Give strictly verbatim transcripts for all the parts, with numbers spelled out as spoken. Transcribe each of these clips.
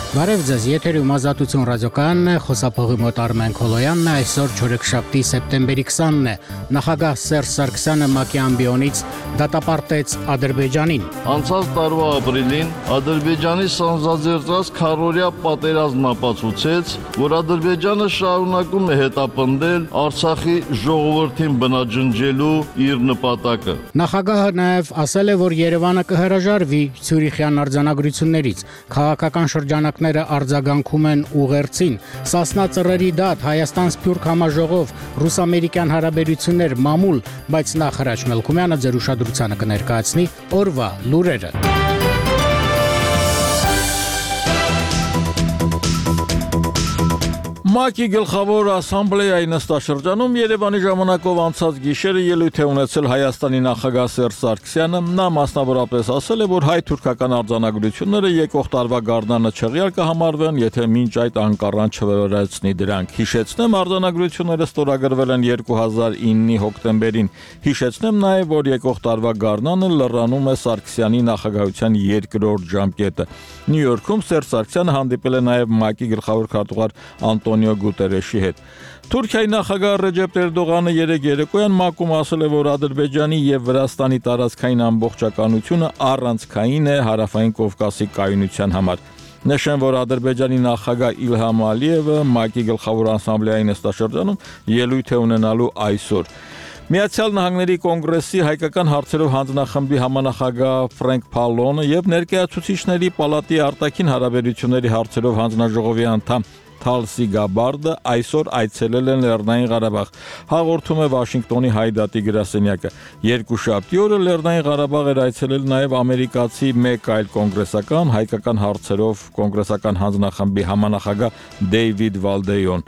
Բարև ձեզ, եթերում Ազատություն ռադիոկայանն է, խոսափողի մոտ Արմեն Քոլոյանն է, այսօր չորեքշաբթի սեպտեմբերի քսանն է, նախագահ Սերժ Սարգսյանը ՄԱԿ-ի ամբիոնից դատապարտեց Ադրբեջանին։ Անցած տարվա ապրիլին Ադրբեջանի սանձազերծած քառօրյա պատերազմն ապացուցեց, որ Ադրբեջանը շարունակում է հետապնդել Արցախի ժողովրդին բնաջնջելու իր նպատակը։ Նախագահը նաև ասել է, որ Երևանը կհրաժարվի Ցյուրիխյան արձանագրություններից, քաղաքական շրջանակները արձագանքում են ուղերձին, Սասնա ծռերի դատ, Հայաստան-Սփյուռք համաժողով, ռուս-ամերիկյան հարաբերություններ, մամուլ, բայց նախ Հրաչ Մելքումյանը ձեր ուշադրությանը կներկայացնի օրվա լուրերը։ ՄԱԿ-ի գլխավոր ասամբլեայի նստաշրջանում Երևանի ժամանակով անցած գիշերը ելույթ է ունեցել Հայաստանի նախագահ Սերժ Սարգսյանը։ Նա մասնավորապես ասել է, որ հայ-թուրքական արձանագրությունները եկող տարվա գարնանը չեղյալ կհամարվեն, եթե մինչ այդ Անկարան չվերացնի դրանք։ Հիշեցնեմ, արձանագրությունները ստորագրվել են երկու հազար իննի հոկտեմբերին։ Հիշեցնեմ նաև, որ եկող տարվա գարնանը լրանում է Սարգսյանի նախագահության երկրորդ ժամկետը։ Նյու Յորքում Սերժ Սարգսյանը հանդիպել է նաև ՄԱԿ-ի գլխավոր քարտուղար Անտոնիո Գուտերեշի հետ։ Թուրքիայի նախագահ Ռեջեփ Էրդողանը երեկ երեկոյան ՄԱԿ-ում ասել է, որ Ադրբեջանի եւ Վրաստանի տարածքային ամբողջականությունը առանցքային է Հարավային Կովկասի կայունության համար։ Նշեմ, որ Ադրբեջանի նախագահ Իլհամ Ալիևը ՄԱԿ-ի գլխավոր ասամբլեայի նստաշրջանում ելույթ է ունենալու այսօր։ Միացյալ Նահանգների կոնգրեսի հայկական հարցերով հանձնախմբի համանախագահ Ֆրենկ Փալոնը եւ ներկայացուցիչների պալատի արտաքին հարաբերությունների հարցերով հանձնաժողովի անդամ Թալսի Գաբարդը այսօր այցելել են Լեռնային Ղարաբաղ, հաղորդում է Վաշինգտոնի Հայդատի գրասենյակը։ Երկուշաբթի օրը Լեռնային Ղարաբաղ էր այցելել նաև ամերիկացի մեկ այլ կոնգրեսական հայկական հարցերով կոնգրեսական հանձնախմբի համանախագահ Դեյվիդ Վալդեյոն։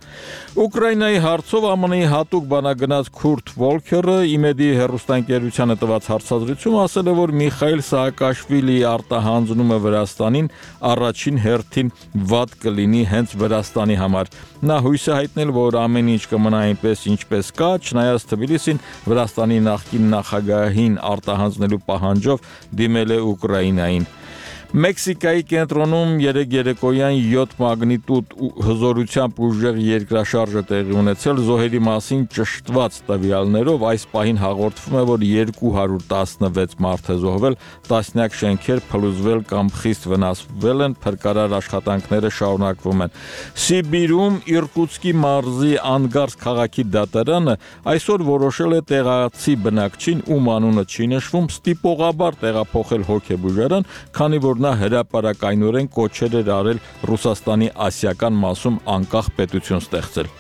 Ուկրաինայի հարցով ԱՄՆ-ի հատուկ բանագնաց Քուրտ Վոլքերը իմեդի հեռուստաընկերությանը տված հարցազրույցում ասել է, որ Միխայիլ Սաակաշվիլիի արտահանձնումը Վրաստանին առաջին հերթին վատ կլինի հենց Վրաստանի համար։ Նա հույս է հայտնել, որ ամեն ինչ կմնա այնպես, ինչպես կա, չնայած Թբիլիսին Վրաստանի նախկին նախագահին արտահանձնելու պահանջով դիմել է Ուկրաինային։ Մեքսիկայի կենտրոնում երեկ երեկոյան յոթ մագնիտուդ հզորությամբ ուժեղ երկրաշարժ է տեղի ունեցել զոհերի մասին ճշտված տվյալներով այս պահին հաղորդվում է, որ երկու հարյուր տասնվեց մարդ է զոհվել, տասնյակ շենքեր փլուզվել կամ խիստ վնասվել են, փրկարար աշխատանքները շարունակվում են։ Սիբիրում Իրկուտսկի մարզի Անգարս քաղաքի դատարանը այսօր որոշել է տեղացի բնակչին, ում անունը չի նշվում, ստիպողաբար տեղափոխել հոգեբուժարան, քանի որ նա հրապարակայնորեն կոչեր էր արել Ռուսաստանի ասիական մասում անկախ պետություն ստեղծել։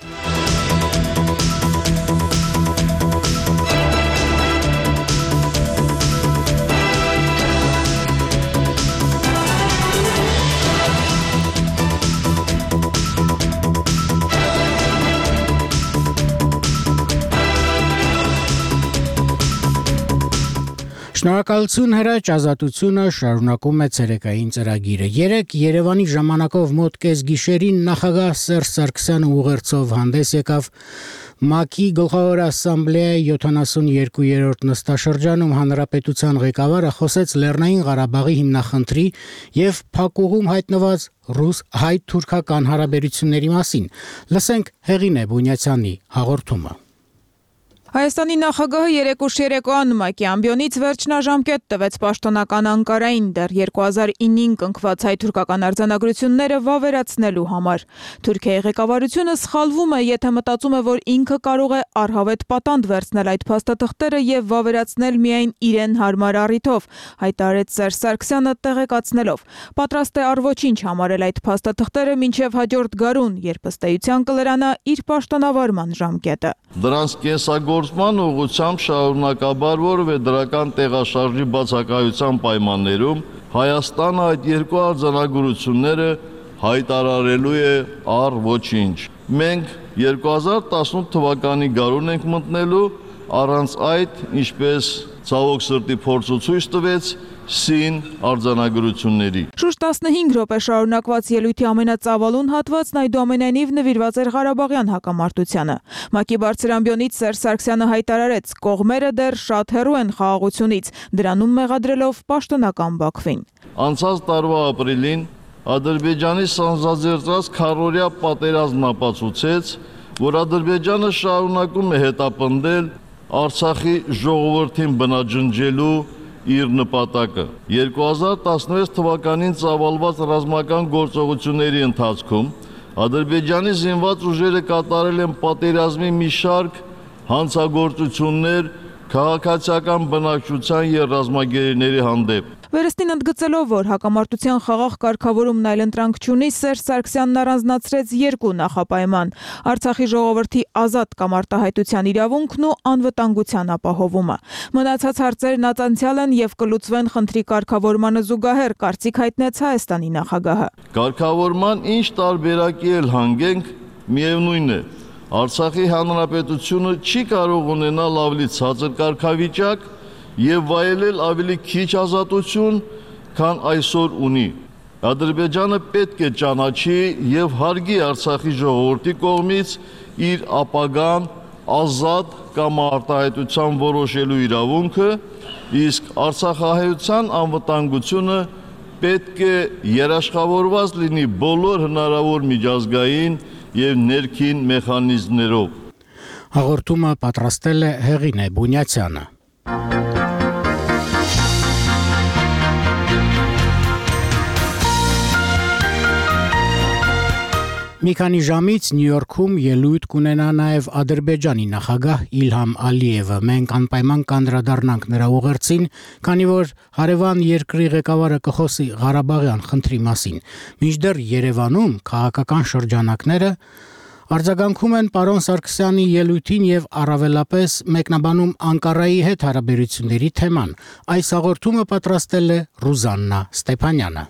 Շնորհակալություն Հրաչ, Ազատությունը շարունակում է ցերեկային ծրագիրը։ Երեկ Երևանի ժամանակով մոտ կես գիշերին նախագահ Սերժ Սարգսյանը ուղերձով հանդես եկավ ՄԱԿ-ի գլխավոր ասամբլեայի յոթանասունյոթերորդ նստաշրջանում հանրապետության ղեկավարը խոսեց Լեռնային Ղարաբաղի հիմնախնդրի եւ փակուղում հայտնված ռուս-հայ-թուրքական հարաբերությունների մասին։ Լսենք Հեղինե Բունյացյանի հաղորդումը։ Հայաստանի նախագահը երեկ ուշ երեկոյան ՄԱԿ-ի ամբիոնից վերջնաժամկետ տվեց պաշտոնական Անկարային դեռ երկու հազար ինին կնքված հայ-թուրքական արձանագրությունները վավերացնելու համար։ Թուրքիայի ղեկավարությունը սխալվում է, եթե մտածում է, որ ինքը կարող է առհավետ պատանդ վերցնել այդ փաստաթղթերը եւ վավերացնել միայն իրեն հարմար առիթով, հայտարարեց Սերժ Սարգսյանը տեղեկացնելով։ Պատրաստ է առ ոչինչ համարել այդ փաստաթղթերը մինչև հաջորդ գարուն, երբ ըստ էության կլրանա իր պաշտոնավարման ժամկետը։ Դրանց կենսագործման ուղղությամբ շարունակաբար որևէ դրական տեղաշարժի բացակայության պայմաններում Հայաստանը այդ երկու արձանագրությունները հայտարարելու է առ ոչինչ։ Մենք երկու հազար տասնութ թվականի գարուն ենք մտնելու, առանց այդ, ինչպես ցավոք սրտի փորձը ցույց տվեց, սին արձանագրությունների։ Շուրջ տասնհինգ րոպե շարունակված ելույթի ամենածավալուն հատվածն այդուամենայնիվ նվիրված էր Ղարաբաղյան հակամարտությանը։ ՄԱԿ-ի բարձր ամբիոնից Սերժ Սարգսյանը հայտարարեց, կողմերը դեռ շատ հեռու են խաղաղությունից, դրանում մեղադրելով պաշտոնական Բաքվին։ Անցած տարվա ապրիլին Ադրբեջանի սանձազերծած քառօրյա պատերազմն ապացուցեց, որ Ադրբեջանը շարունակում է հետապնդել Արցախի ժողովրդին բնաջնջելու իր նպատակը։ երկու հազար տասնվեց թվականին ծավալված ռազմական գործողությունների ընթացքում Ադրբեջանի զինված ուժերը կատարել են պատերազմի մի շարք հանցագործություններ քաղաքացիական բնակչության և ռազմագերիների հանդեպ։ Վերստին ընդգծելով, որ հակամարտության խաղաղ կարգավորումն այլընտրանք չունի, Սերժ Սարգսյանն առանձնացրեց երկու նախապայման՝ Արցախի ժողովրդի ազատ կամ արտահայտության իրավունքն ու անվտանգության ապահովումը։ Մնացած հարցերն անցյալ են և կլուծվեն խնդրի կարգավորմանը զուգահեռ, կարծիք հայտնեց Հայաստանի նախագահը։ Կարգավորման ինչ տարբերակի էլ հանգենք, միևնույն է, Արցախի հանրապետությունը չի կարող ունենալ ավելի ցածր կարգավիճակ և վայելել ավելի քիչ ազատություն, քան այսօր ունի։ Ադրբեջանը պետք է ճանաչի և հարգի Արցախի ժողովրդի կողմից իր ապագան ազատ կամ արտահայտության որոշելու իրավունքը, իսկ արցախահայության անվտանգությունը պետք է երաշխավորված լինի բոլոր հնարավոր միջազգային և ներքին մեխանիզմներով։ Հաղորդումը պատրաստել է Հեղինե Բունյացյանը։ Մի քանի ժամից Նյու Յորքում ելույթ կունենա նաև Ադրբեջանի նախագահ Իլհամ Ալիևը։ Մենք անպայման կանդրադառնանք նրա ուղերձին, քանի որ հարևան երկրի ղեկավարը կխոսի Ղարաբաղյան խնդրի մասին։ Մինչդեռ Երևանում քաղաքական շրջանակները արձագանքում են պարոն Սարգսյանի ելույթին և առավելապես մեկնաբանում Անկարայի հետ հարաբերությունների թեման։ Այս հաղորդումը պատրաստել է Ռուզաննա Ստեփանյանը։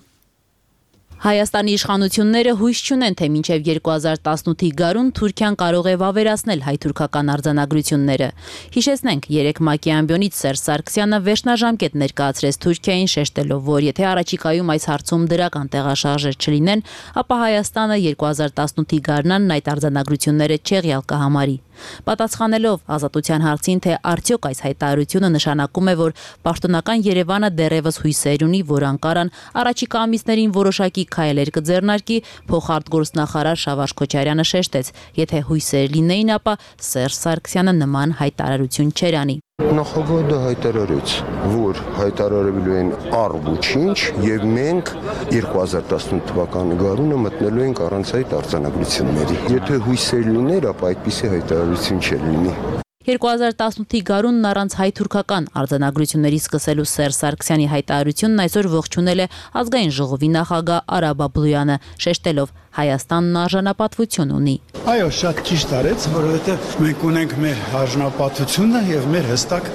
Հայաստանի իշխանությունները հույս չունեն, թե մինչև երկու հազար տասնութի գարուն Թուրքիան կարող է վավերացնել հայ-թուրքական արձանագրությունները։ Հիշեցնենք, երեկ ՄԱԿ-ի ամբիոնից Սերժ Սարգսյանը վերջնաժամկետ ներկայացրեց Թուրքիային, շեշտելով, որ եթե առաջիկայում այս հարցում դրական տեղաշարժեր չլինեն, ապա Հայաստանը երկու հազար տասնութի գարնանն այդ արձանագրությունները չեղյալ կհամարի։ Պատասխանելով ազատության հարցին, թե արդյոք այս հայտարարությունը նշանակում է, որ պաշտոնական Երևանը դեռևս հույսեր ունի, որ Անկարան առաջիկա ամիսներին որոշակի քայլեր կձեռնարկի, փոխարտգործնախարար Շավարժ Քոչարյանը շեշտեց, եթե հույսեր լինեին, ապա Սերժ Սարգսյանը նման հայտարարություն չէր անի։ Նախագահը դա հայտարարեց, որ հայտարարելու են առ-ոչինչ եւ մենք երկու հազար տասնութ թվականի գարունը մտնելու ենք առանց այդ արձանագրությունների։ Եթե հույսեր լիներ, ապա այդպիսի հայտարարություն չէր լինի։ երկու հազար տասնութի գարունն առանց հայ-թուրքական արձանագրությունների սկսելու Սերժ Սարգսյանի հայտարարությունն այսօր ողջունել է ազգային ժողովի նախագահ Արա Բաբլոյանը, շեշտելով Հայաստանն արժանապատվություն ունի։ Այո, շատ ճիշտ արեց, որովհետև մենք ունենք մեր արժանապատվությունը եւ մեր հստակ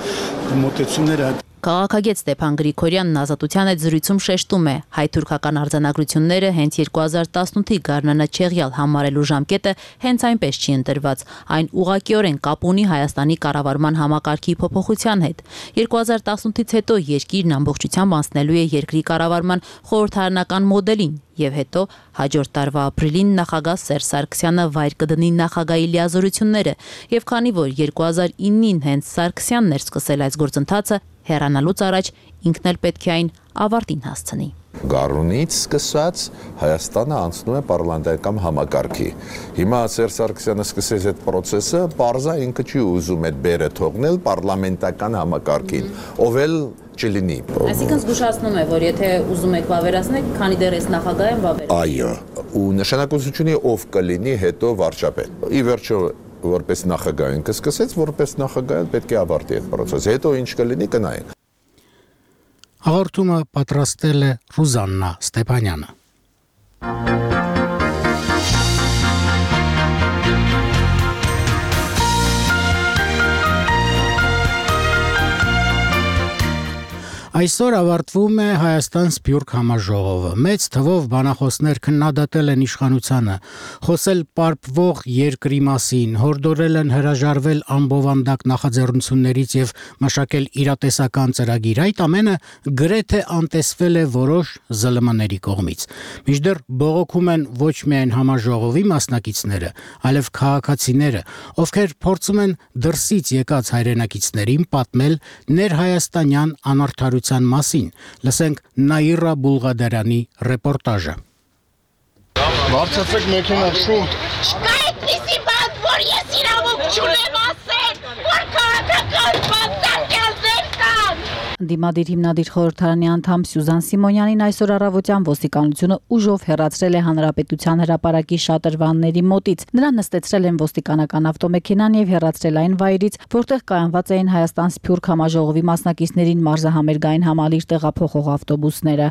մոտեցումները։ Քաղաքագետ Ստեփան Գրիգորյանն ազատության այդ զրույցում շեշտում է, հայ-թուրքական արձանագրությունները հենց երկու հազար տասնութի գարնանը չեղյալ համարելու ժամկետը հենց այնպես չի ընտրված, այն ուղղակիորեն կապ ունի Հայաստանի կառավարման համակարգի փոփոխության հետ։ երկու հազար տասնութից հետո երկիրն ամբողջությամբ անցնելու է երկրի կառավարման խորհրդարանական մոդելին, եւ հետո հաջորդ տարվա ապրիլին նախագահ Սերժ Սարգսյանը վայր կդնի նախագահի լիազորությունները, եւ քանի որ երկու հազար իննին հենց Սարգսյանն էր սկսել այս գործընթացը, հեռանալուց առաջ ինքն էլ պետք է այն ավարտին հասցնի։ Գարունից սկսած Հայաստանը անցնում է պարլամենտական համակարգի։ Հիմա Սերժ Սարգսյանը սկսեց այդ process-ը, պարզա ինքը չի ուզում այդ բերը թողնել պարլամենտական համակարգին, ով էլ չլինի։ Այսինքն զգուշացնում է, որ եթե ուզում եք վավերացնել, քանի դեռ այս նախագահը վավեր։ Այո, ու նշանակությունի ով կլինի հետո վարչապետ։ Ի վերջո որպես նախագահ ինքը սկսեց, որպես նախագահ պետք է ավարտի այդ process-ը։ Հետո ինչ կլինի կնայենք։ Հաղորդումը պատրաստել է Ռուզաննա Ստեփանյանը։ Այսօր ավարտվում է Հայաստան Սփյուռք համաժողովը։ Մեծ թվով բանախոսներ քննադատել են իշխանությանը, խոսել պարպվող երկրի մասին, հորդորել են հրաժարվել անբովանդակ նախաձեռնություններից եւ մշակել իրատեսական ծրագիր։ Այդ ամենը գրեթե անտեսվել է որոշ զլ մ-ների կողմից։ Մինչդեռ բողոքում են ոչ միայն համաժողովի մասնակիցները, այլև քաղաքացիները, ովքեր փորձում են դրսից եկած հայրենակիցներին պատմել ներհայաստանյան անարդարության մասին։ Լսենք Նաիրա Բուլղադարյանի ռեպորտաժը։ Բարձրացեք մեքենան շուտ։ Չկա այդպիսի բան, որ ես իրավունք չունեմ ասել, որ քաղաքական բանտարկյալներ կան։ Դիմադիր հիմնադիր խորհրդարանի անդամ Սյուզան Սիմոնյանին այսօր առավոտյան ոստիկանությունը ուժով հեռացրել է Հանրապետության հրապարակի շատրվանների մոտից։ Նրան նստեցրել են ոստիկանական ավտոմեքենան եւ հեռացրել այն վայրից, որտեղ կայանված էին Հայաստան-Սփյուռք համաժողովի մասնակիցներին մարզահամերգային համալիր տեղափոխող ավտոբուսները։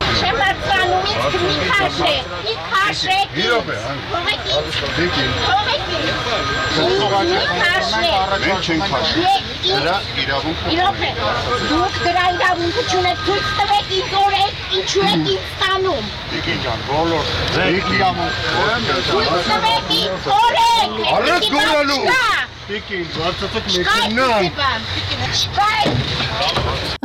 Դրա իրավունքը Իրոք է, դուք դրա իրավունքը չունեք, ցույց տվեք ինձ օրենք, ինչու եք ինձ տանում։ Տիկին ջան, բոլոր ձեր իրավունքը Ցույց տվեք ինձ օրենք։ Արեք գորալու։ Տիկին, բարձրացեք մեքենան։ Չկա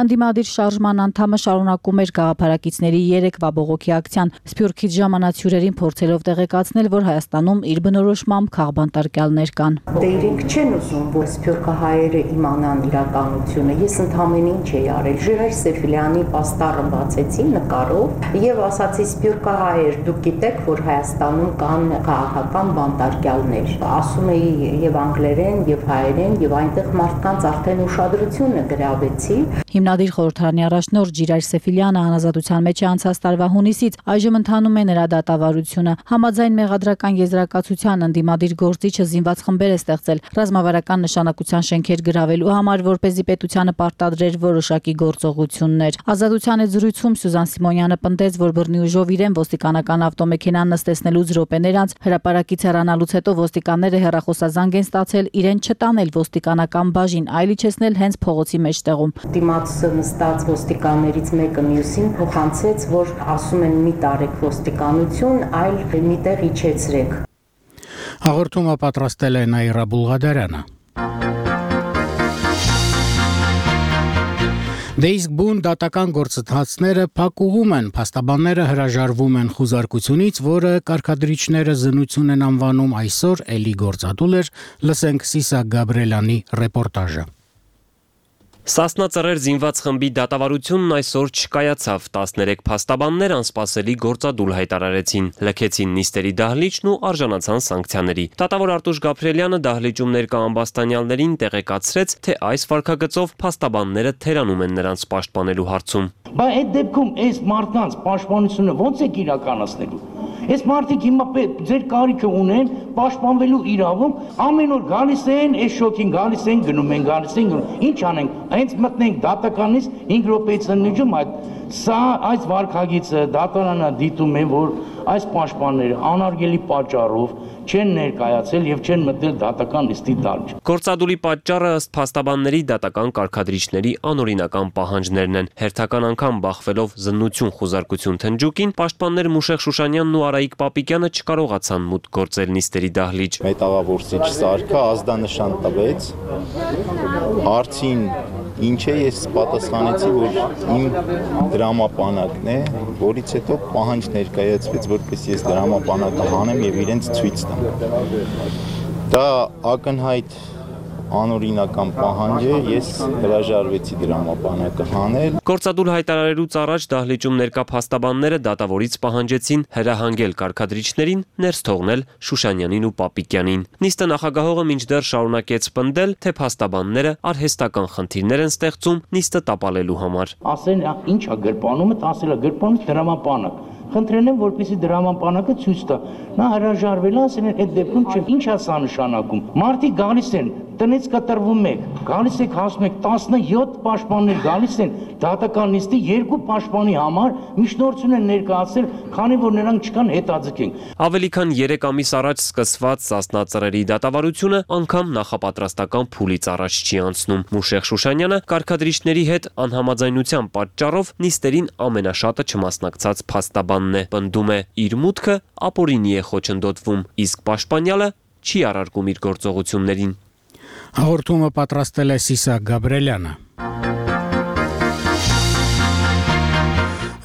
Անդիմադիր շարժման անդամը շարունակում էր գաղափարակիցների երեկվա բողոքի ակցիան, Սփյուռքից ժամանած հյուրերին փորձելով տեղեկացնել, որ Հայաստանում իր բնորոշմամբ քաղբանտարկյալներ կան։ Դե իրենք չեն ուզում, որ սփյուռքահայերը իմանան իրականությունը։ Ես ընդհանրին ինչ էի արել։ Ժիրայր Սեֆիլյանի պաստառը բացեցի նկարով եւ ասացի սփյուռքահայեր, դուք գիտեք, որ Հայաստանում կան քաղաքական բանտարկյալներ։ Ասում էի եւ անգլերեն, եւ հայերեն, եւ այնտեղ մարդկանց արդեն ուշադրությունը գրավեցի։ Հիմնադիր խորհրդարանի առաջնորդ Ժիրայր Սեֆիլյանը անազատության մեջ է անցած տարվա հունիսից, այժմ ընթանում է նրա դատավարությունը։ Համաձայն մեղադրական եզրակացության ընդդիմադիր գործիչը զինված խմբեր է ստեղծել ռազմավարական նշանակության շենքեր գրավելու համար, որպեսզի պետությանը պարտադրեր որոշակի գործողություններ։ Ազատության այդ զրույցում Սյուզան Սիմոնյանը պնդեց, որ բռնի ուժով իրեն ոստիկանական ավտոմեքենան նստեցնելուց րոպեներ անց հրապարակից հեռանալուց հետո ոստիկանները հեռախոսազանգ են ստացել իրեն չտանել ոստիկանական բաժին, այլ իջեցնել հենց փողոցի մեջտեղում։ Դիմացը նստած ոստիկաններից մեկը մյուսին փոխանցեց, որ ասում են մի տարեք ոստիկանություն, այլ միտեղ իջեցրեք։ Հաղորդումը պատրաստել է Նաիրա Բուլղադարյանը։ Դե իսկ բուն դատական գործընթացները փակուղում են, փաստաբանները հրաժարվում են խուզարկությունից, որը կարգադրիչները զննություն են անվանում այսօր էլի գործադուլ էր, լսենք Սիսակ Գաբրելյանի ռեպորտաժը։ Սասնա ծռեր զինված խմբի դատավարությունն այսօր չկայացավ, տասներեք փաստաբաններ անսպասելի գործադուլ հայտարարեցին, լքեցին նիստերի դահլիճն ու արժանացան սանկցիաների։ Դատավոր Արտուշ Գաբրելյանը դահլիճում ներկա ամբաստանյալներին տեղեկացրեց, թե այս վարքագծով փաստաբանները թերանում են նրանց պաշտպանելու հարցում։ Բայց այդ դեպքում այս մարդկանց պաշտպանությունը ո՞նց եք իրականացնելու։ Այս մարդիկ հիմա ձեր կարիքը ունեն պաշտպանվելու իրավունք, ամեն օր գալիս են, այս շոկին գալիս են, գնում են, գալիս են, գնում։ Ինչ անենք, հենց մտնենք դատականից հինգ րոպեից ննջում այդ սա այս վարքագիծը դատարանը դիտում է, որ այս պաշտպանները անարգելի պատճառով չեն ներկայացել եւ չեն մտնել դատական լիստի դալջ։ Գործադուլի պատճառը ըստ փաստաբանների դատական կարգադրիչների անօրինական պահանջներն են։ Հերթական անգամ բախվելով զննություն խուզարկություն թնջուկին, պաշտպաններ Մուշեղ Շուշանյանն ու Արայիկ Պապիկյանը չկարողացան մուտք գործել նիստերի դահլիճ։ Մետաղավորցիչ Սարգը ազդանշան տվեց, հարցին ինչ է, ես պատասխանեցի, որ իմ դրամապանակն է, որից հետո պահանջ ներկայացվեց, որպես ես դրամապանակը հանեմ եւ իրենց ցույց տամ։ Դա ակնհայտ անօրինական պահանջ է, ես հրաժարվեցի դրամապանակը հանել։ Գործադուլ հայտարարելուց առաջ դահլիճում ներկա փաստաբանները դատավորից պահանջեցին հրահանգել կարգադրիչներին ներս թողնել Շուշանյանին ու Պապիկյանին։ Նիստը նախագահողը մինչդեռ շարունակեց պնդել, թե փաստաբանները արհեստական խնդիրներ են ստեղծում նիստը տապալելու համար։ Ասեն, ի՞նչ է գրպանումը, ասել է գրպանը դրամապանակ։ Խնդրել եմ, որպեսզի դրամապանակը ցույց տա։ Նա հրաժարվել է, ասել են, այդ դեպքում չէ, ինչ է սա նշանակում։ Մարդիկ գալիս են, տնից կտրվում եք, գալիս եք հասնում եք տասնյոթ պաշտպաններ գալիս են դատական նիստի երկու պաշտպանի համար միջնորդություն են ներկայացել, քանի որ նրանք չկան հետաձգենք։ Ավելի քան երեք ամիս առաջ սկսված Սասնա ծռերի դատավարությունը անգամ նախապատրաստական փուլից առաջ չի անցնում։ Մուշեղ Շուշանյանը կարգադրիչների հետ անհամաձայնության պատճառով նիստերին ամենաշատը չմասնակցած փաստաբանն է, պնդում է իր մուտքը ապօրինի է խոչընդոտվում, իսկ պաշտպանյալը չի առարկում իր գործողություններին։ Հաղորդումը պատրաստել է Սիսակ Գաբրելյանը։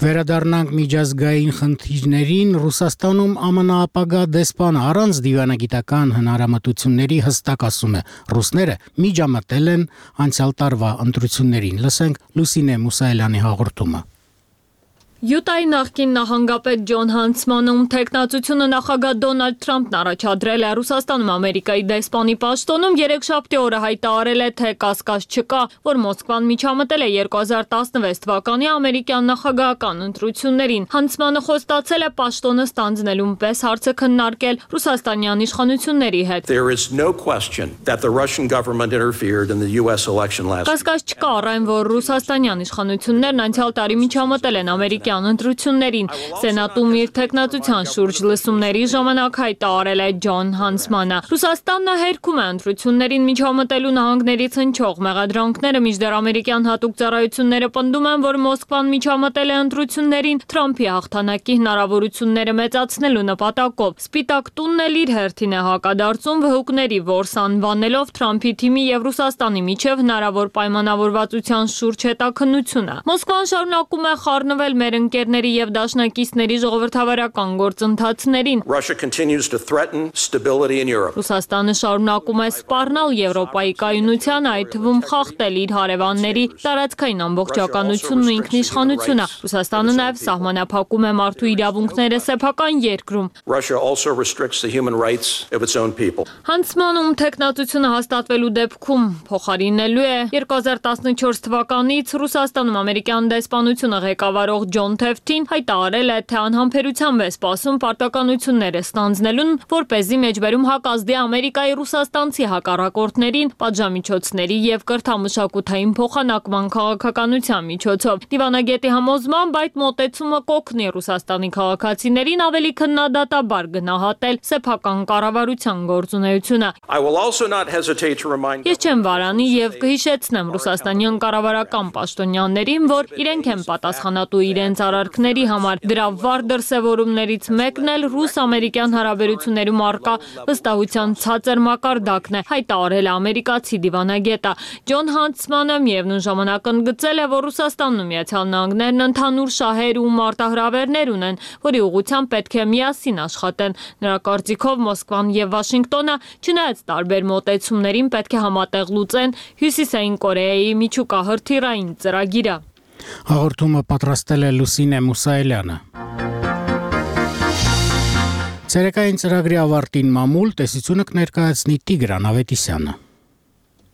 Վերադառնանք միջազգային խնդիրներին, Ռուսաստանում ԱՄՆ ապագա դեսպանը առանց դիվանագիտական հնարամտությունների հստակ ասում է, ռուսները միջամտել են անցյալ տարվա ընտրություններին։ Լսենք Լուսինե Մուսայելյանի հաղորդումը։ Յուտայի նախկին նախագահապետ Ջոն Հանցմանը, ում թեկնածությունը նախագահ Դոնալդ Թրամփն առաջադրել է Ռուսաստանում Ամերիկայի դեսպանի պաշտոնում, երեքշաբթի օրը հայտարարել է, թե կասկած չկա, որ Մոսկվան միջամտել է երկու հազար տասնվեց թվականի ամերիկյան նախագահական ընտրություններին։ Հանցմանը խոստացել է պաշտոնը ստանձնելուն պես հարցը քննարկել ռուսաստանյան իշխանությունների հետ։ Կասկած չկա առ այն, որ ռուսաստանյան իշխանություններն անցյալ տարի միջամտել են ամերիկյան ընտրություններին։ Սենատում իր թեկնածության շուրջ լսումների ժամանակ հայտարարել է Ջոն Հանցմանը։ Ռուսաստանն հերքում է ընտրություններին միջամտելու նահանգներից հնչող մեղադրանքները, մինչդեռ ամերիկյան հատուկ ծառայությունները պնդում են, որ Մոսկվան միջամտել է ընտրություններին Թրամփի հաղթանակի հնարավորությունները մեծացնելու նպատակով։ Սպիտակ տունն էլ իր հերթին է հակադարձում վհուկների որս անվանելով Թրամփի թիմի եւ Ռուսաստանի միջև հնարավոր պայմանավորվածության շուրջ հետաքննությունը։ Մոսկվան շարունակում է խառնվել մեր ընկերների եւ դաշնակիցների ժողովրդավարական գործընթացներին։ Ռուսաստանը շարունակում է սպառնալ Եվրոպայի կայունությանը, այդ թվում խախտել իր հարևանների տարածքային ամբողջականությունն ու ինքնիշխանությունը։ Ռուսաստանը նաեւ սահմանափակում է մարդու իրավունքները սեփական երկրում։ Հանցմանում թեկնածությունը հաստատվելու դեպքում փոխարինելու է երկու հազար տասնչորս թվականից Ռուսաստանում ամերիկյան դեսպանությունը ղեկավարող Ջոն Թեֆթին հայտարարել է, թե անհամբերությամբ է սպասում պարտականությունները ստանձնելուն, որպեսզի մեջբերում հակազդի Ամերիկայի ռուսաստանցի հակառակորդներին պատժամիջոցների եւ կրթամշակութային փոխանակման քաղաքականության միջոցով։ Դիվանագետի համոզմամբ այդ մոտեցումը կօգնի Ռուսաստանի քաղաքացիներին ավելի քննադատաբար գնահատել սեփական կառավարության գործունեությունը։ Ես չեմ վարանի եւ կհիշեցնեմ ռուսաստանյան կառավարական պաշտոնյաներին, որ իրենք են պատասխանատու իրենց արարքների համար։ Դրա վառ դրսևորումներից մեկն էլ ռուս-ամերիկյան հարաբերություններում առկա վստահության ցածր մակարդակն է, հայտարարել է ամերիկացի դիվանագետը։ Ջոն Հանցմանը միևնույն ժամանակ ընդգծել է, որ Ռուսաստանն ու Միացյալ Նահանգներն ընդհանուր շահեր ու մարտահրավերներ ունեն, որի ուղղությամբ պետք է միասին աշխատեն։ Նրա կարծիքով Մոսկվան եւ Վաշինգտոնը, չնայած տարբեր մոտեցումներին, պետք է համատեղ լուծեն Հյուսիսային Կորեայի միջուկահրթիռային ծրագիրը։ Հաղորդումը պատրաստել է Լուսինե Մուսայելյանը։ Ցերեկային ծրագրի ավարտին մամուլ տեսությունը կներկայացնի Տիգրան Ավետիսյանը։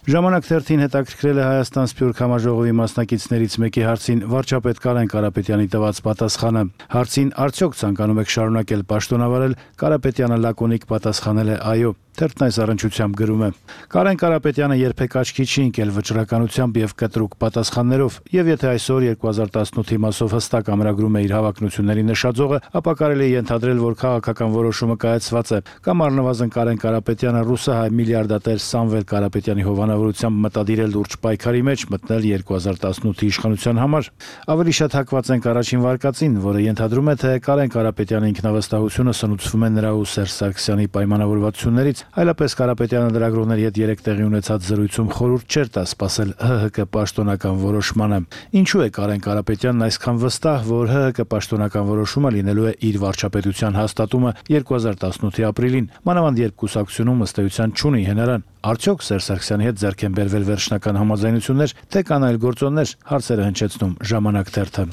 Ժամանակ թերթին հետաքրքրել է Հայաստան Սփյուռք համաժողովի մասնակիցներից մեկի հարցին վարչապետ Կարեն Կարապետյանի տված պատասխանը։ Հարցին արդյոք ցանկանում եք շարունակել պաշտոնավարել, Կարապետյանը լակոնիկ պատասխանել է այո։ Թերթն այս առնչությամբ գրում է. Կարեն Կարապետյանը երբեք աչքի չի ընկել վճռականությամբ եւ կտրուկ պատասխաններով, եւ եթե այսօր երկու հազար տասնութի մասով հստակ ամրագրում է իր հավակնությունների նշաձողը, ապա կարելի է ենթադրել, որ քաղաքական որոշումը կայացված է, կամ առնվազն Կարեն Կարապետյանը ռուսահայ միլիարդատեր Սամվել Կարապետյանի հովանավորությամբ մտադիր է լուրջ պայքարի մեջ մտնել երկու հազար տասնութի իշխանության համար։ Ավելի շատ հակված ենք առաջին վարկածին, որը ենթադրում է, թե Կարեն Կարապետյանի ինքնավստահությունը սնուցվում է նրա ու Սերժ Սարգսյանի պայմանավորվածություններից։ Այլապես Կարապետյանը լրագրողների հետ երեք տեղի ունեցած զրույցում խորհուրդ չէր տա սպասել ՀՀԿ պաշտոնական որոշմանը։ Ինչու է Կարեն Կարապետյանն այսքան վստահ, որ ՀՀԿ պաշտոնական որոշումը լինելու է իր վարչապետության հաստատումը երկու հազար տասնութի ապրիլին, մանավանդ երբ կուսակցությունում ըստ էության չունի հենարան։ Արդյոք Սերժ Սարգսյանի հետ ձեռք են բերվել վերջնական համաձայնություններ, թե կան այլ գործոններ, հարցերը հնչեցնում Ժամանակ թերթը։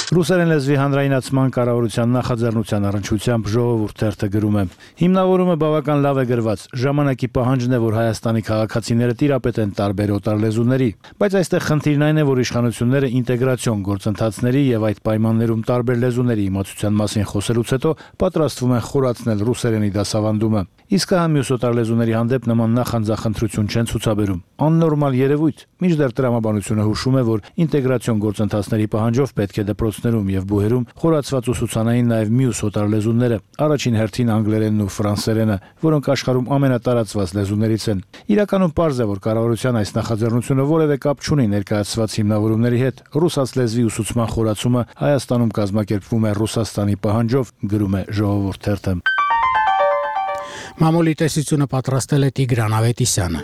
Ռուսերեն լեզվի հանրայնացման կառավարության նախաձեռնության առնչությամբ Ժողովուրդ թերթը գրում է. Հիմնավորումը բավական լավ է գրված։ Ժամանակի պահանջն է, որ Հայաստանի քաղաքացիները տիրապետեն տարբեր օտար լեզուների, բայց այստեղ խնդիրն այն է, որ իշխանությունները ինտեգրացիոն գործընթացների եւ այդ պայմաններում տարբեր լեզուների իմացության մասին խոսելուց հետո պատրաստվում են խորացնել ռուսերենի դասավանդումը։ Իսկ հա մյուս օտար լեզուների հանդեպ նման նախանձախնդրություն չեն ցուցաբերում։ Աննորմալ երևույթ։ Մինչդեռ տրամաբանությունը հուշում է, որ ինտեգրացիոն գործընթացների պահանջով պետք է դպրոցներում եւ բուհերում խորացված ուսուցանային նաեւ մյուս օտար լեզուները, առաջին հերթին անգլերենն ու ֆրանսերենը, որոնք աշխարհում ամենատարածված լեզուներից են։ Իրականում պարզ է, որ կառավարության այս նախաձեռնությունը որևէ կապ չունի ներկայացված հիմնավորումների հետ։ Ռուսաց լեզվի ուսուցման խորացումը Հայաստանում կազմակերպվում է Ռուսաստանի պահանջով, գրում է Ժողովուրդ թերթը։ Մամուլի տեսությունը պատրաստել է Տիգրան Ավետիսյանը։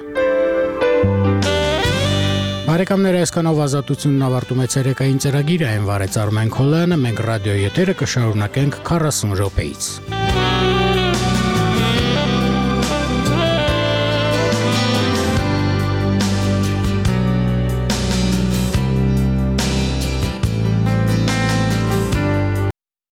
Բարեկամներ, այսքանով ազատությունն ավարտում է ցերեկային ծրագիրը, այն վարեց Արմեն Քոլյանը, մենք ռադիոյի եթերը կշարունակենք քառասուն րոպեից։